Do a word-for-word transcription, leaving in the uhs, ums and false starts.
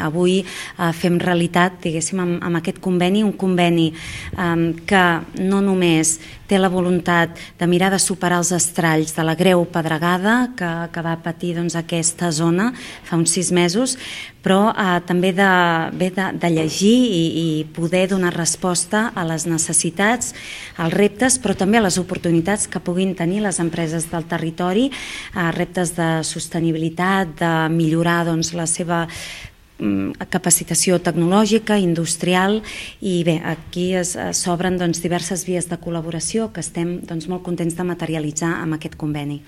Avui eh, fem realitat, diguéssim, amb, amb aquest conveni, un conveni eh, que no només té la voluntat de mirar de superar els estralls de la greu pedregada que, que va patir doncs, aquesta zona fa uns sis mesos, però eh, també de, bé de, de llegir i, i poder donar resposta a les necessitats, als reptes, però també a les oportunitats que puguin tenir les empreses del territori, eh, reptes de sostenibilitat, de millorar doncs, la seva capacitació tecnològica, industrial, i bé, aquí s'obren doncs, diverses vies de col·laboració que estem doncs, molt contents de materialitzar amb aquest conveni.